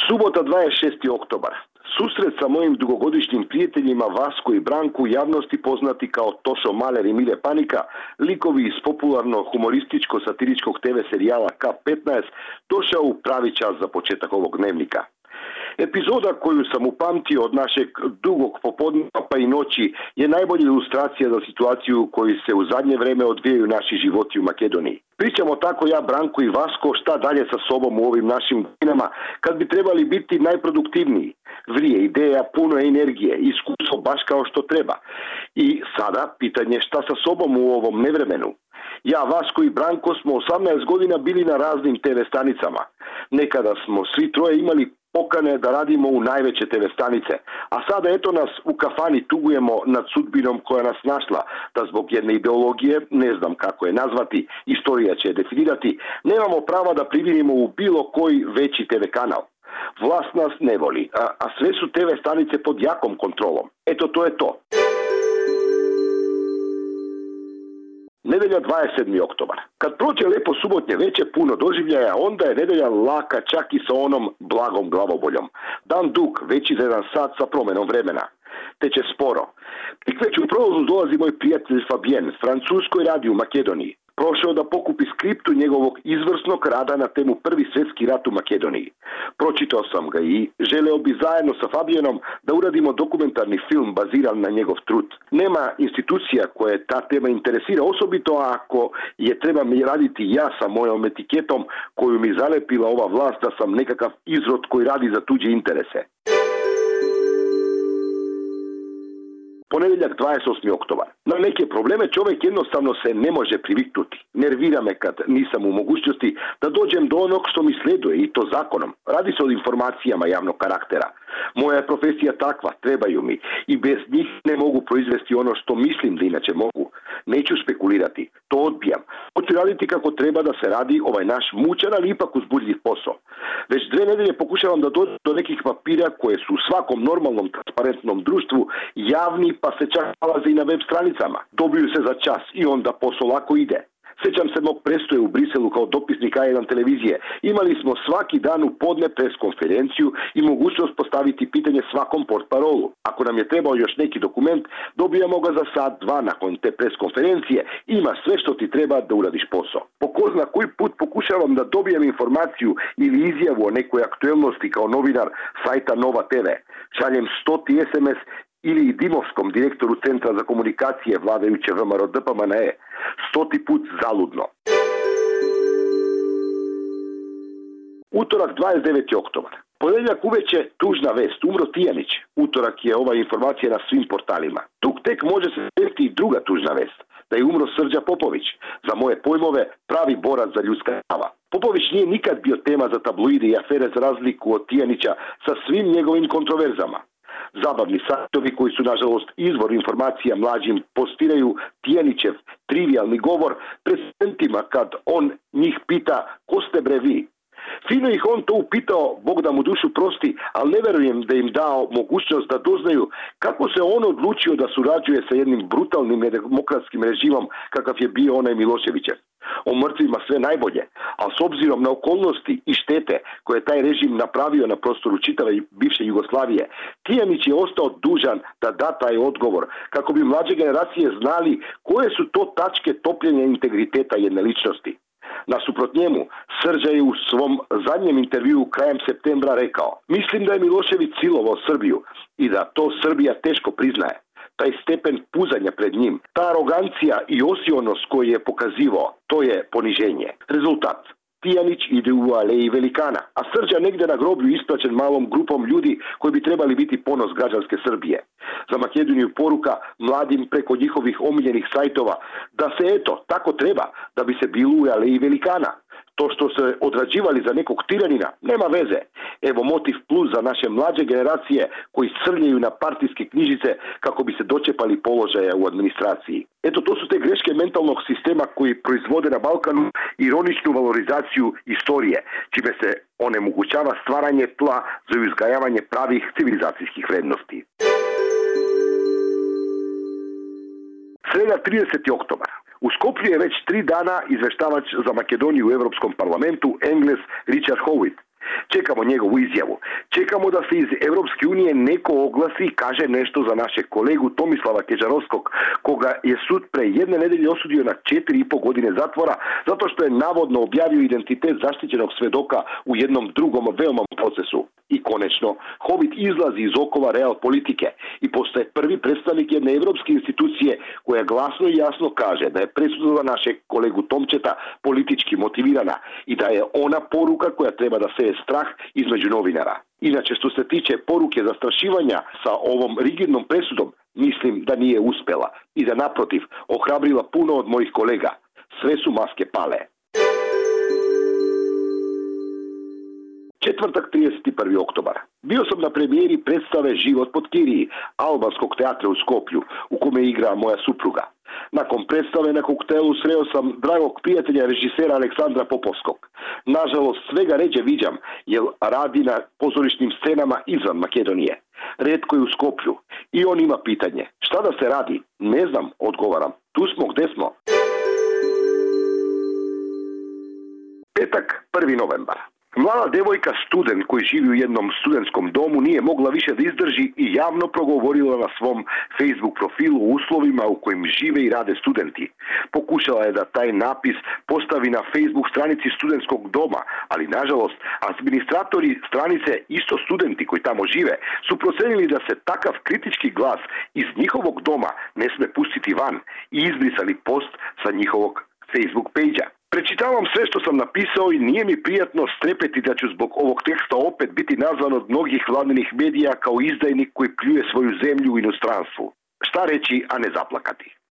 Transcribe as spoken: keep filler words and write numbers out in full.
Subota dvadeset šesti oktobar. Susret sa mojim dugogodišnjim prijateljima Vasko i Branku, u javnosti poznati kao Tošo Maler i Mile Panika, likovi iz popularno-humorističko-satiričkog te ve serijala K petnaest, došao u pravi čas za početak ovog dnevnika. Epizoda koju sam upamtio od našeg dugog popodneva pa i noći je najbolja ilustracija za situaciju u kojoj se u zadnje vreme odvijaju naši životi u Makedoniji. Pričamo tako ja, Branko i Vasko, šta dalje sa sobom u ovim našim godinama kad bi trebali biti najproduktivniji. Vrije ideja, puno energije, iskustvo baš kao što treba. I sada pitanje šta sa sobom u ovom nevremenu. Ja, Vasko i Branko smo osamnaest godina bili na raznim te ve stanicama. Nekada smo svi troje imali pokane da radimo u najveće te ve stanice, a sada eto nas u kafani tugujemo nad sudbinom koja nas našla, da zbog jedne ideologije, ne znam kako je nazvati, istorija će je definirati, nemamo prava da privinimo u bilo koji veći te ve kanal. Vlast nas ne voli, a, a sve su te ve stanice pod jakom kontrolom. Eto, to je to. Nedelja dvadeset sedmi oktobar. Kad prođe lepo subotnje veče puno doživljaja, onda je nedelja laka čak i sa onom blagom glavoboljom. Dan dug, veći za jedan sat sa promenom vremena. Teče sporo. Tik već u prolazu dolazi moj prijatelj Fabien, Francuskoj radi u Makedoniji. Prošao da pokupi skriptu njegovog izvrsnog rada na temu Prvi svjetski rat u Makedoniji. Pročitao sam ga i želeo bi zajedno sa Fabienom da uradimo dokumentarni film baziran na njegov trud. Nema institucija koje ta tema interesira, osobito ako je trebam raditi ja sa mojom etiketom koju mi zalepila ova vlast da sam nekakav izrod koji radi za tuđe interese. Ponedjeljak dvadeset osmi oktobar. Na neke probleme čovjek jednostavno se ne može priviknuti. Nervira me kad nisam u mogućnosti da dođem do onog što mi sleduje i to zakonom. Radi se o informacijama javnog karaktera. Moja je profesija takva, trebaju mi i bez njih ne mogu proizvesti ono što mislim da inače mogu. Neću spekulirati, to odbijam. Hoću raditi kako treba da se radi ovaj naš mučan, ali ipak uzbudljiv posao. Već dve nedelje pokušavam da dođem do nekih papira koje su u svakom normalnom transparentnom društvu javni, pa se čak nalaze i na web stranicama. Dobiju se za čas i onda posao lako ide. Sjećam se mog prestoje u Briselu kao dopisnik A jedan televizije. Imali smo svaki dan u podne pres konferenciju i mogućnost postaviti pitanje svakom portparolu. Ako nam je trebao još neki dokument, dobijamo ga za sat, dva nakon te pres konferencije. Ima sve što ti treba da uradiš posao. Po ko zna koji put pokušavam da dobijem informaciju ili izjavu o nekoj aktuelnosti kao novinar sajta Nova te ve. Šaljem stoti es em es ili Dimovskom, direktoru Centra za komunikacije vladajuće ve em er o de pe em en e. Stoti put zaludno. Utorak dvadeset deveti oktobar. Ponedjeljak uveče tužna vest, umro Tijanić. Utorak je ova informacija na svim portalima. Tuk tek može se desiti i druga tužna vest, da je umro Srđa Popović, za moje pojmove pravi borac za ljudska prava. Popović nije nikad bio tema za tabloide i afere za razliku od Tijanića sa svim njegovim kontroverzama. Zabavni sajtovi koji su nažalost izvor informacija mlađim postiraju Tijanićev trivialni govor prezidentima kad on njih pita ko ste bre vi. Fino ih on to upitao, Bog da mu dušu prosti, ali ne verujem da im dao mogućnost da doznaju kako se on odlučio da surađuje sa jednim brutalnim nedemokratskim režimom kakav je bio onaj Miloševićev. O mrtvima sve najbolje, a s obzirom na okolnosti i štete koje je taj režim napravio na prostoru čitave bivše Jugoslavije, Tijanić je ostao dužan da da taj odgovor kako bi mlađe generacije znali koje su to tačke topljenja integriteta jedne ličnosti. Nasuprot njemu, Srđa je u svom zadnjem intervjuu krajem septembra rekao: mislim da je Milošević silovao Srbiju i da to Srbija teško priznaje. Taj stepen puzanja pred njim, ta arogancija i osionost koju je pokazivao, to je poniženje. Rezultat. Tijanić ide u aleji velikana, a Srđa negdje na groblju ispraćen malom grupom ljudi koji bi trebali biti ponos građanske Srbije. Za Makedoniju poruka mladim preko njihovih omiljenih sajtova da se eto, tako treba, da bi se bilo u aleji velikana. To što se odrađivali za nekog tiranina, nema veze. Evo motiv plus za naše mlađe generacije koji srljaju na partijske knjižice kako bi se dočepali položaja u administraciji. Eto, to su te greške mentalnog sistema koji proizvode na Balkanu ironičnu valorizaciju istorije, čime se onemogućava stvaranje tla za uzgajavanje pravih civilizacijskih vrednosti. Sreda trideseti oktobar. U Skoplju je već tri dana izveštavač za Makedoniju u Europskom parlamentu, Englez Richard Howitt. Čekamo njegovu izjavu. Čekamo da se iz Europske unije neko oglasi i kaže nešto za našeg kolegu Tomislava Keđarovskog, koga je sud pre jedne nedelje osudio na četiri i po godine zatvora zato što je navodno objavio identitet zaštićenog svedoka u jednom drugom veoma procesu. I konečno, Hovit izlazi iz okova real politike i postaje prvi predstavnik jedne evropske institucije koja glasno i jasno kaže da je presuda našeg kolegu Tomčeta politički motivirana i da je ona poruka koja treba da seje strah između novinara. Inače, što se tiče poruke zastrašivanja sa ovom rigidnom presudom, mislim da nije uspela i da naprotiv ohrabrila puno od mojih kolega. Sve su maske pale. Četvrtak, trideset prvi oktobar. Bio sam na premijeri predstave Život pod Kiriji, albanskog teatra u Skoplju, u kome igra moja supruga. Nakon predstave na koktelu sreo sam dragog prijatelja režisera Aleksandra Popovskog. Nažalost, svega ređe viđam, jer radi na pozorišnim scenama izvan Makedonije. Retko je u Skoplju. I on ima pitanje. Šta da se radi? Ne znam, odgovaram. Tu smo, gde smo? Petak, prvi novembar. Mlada devojka student koji živi u jednom studentskom domu nije mogla više da izdrži i javno progovorila na svom Facebook profilu o uslovima u kojim žive i rade studenti. Pokušala je da taj napis postavi na Facebook stranici studentskog doma, ali nažalost administratori stranice, isto studenti koji tamo žive, su procenili da se takav kritički glas iz njihovog doma ne sme pustiti van i izbrisali post sa njihovog Facebook page-a. Prečitavam sve što sam napisao i nije mi prijatno strepeti da ću zbog ovog teksta opet biti nazvan od mnogih vladinih medija kao izdajnik koji pljuje svoju zemlju u inostranstvu. Šta reći, a ne zaplakati?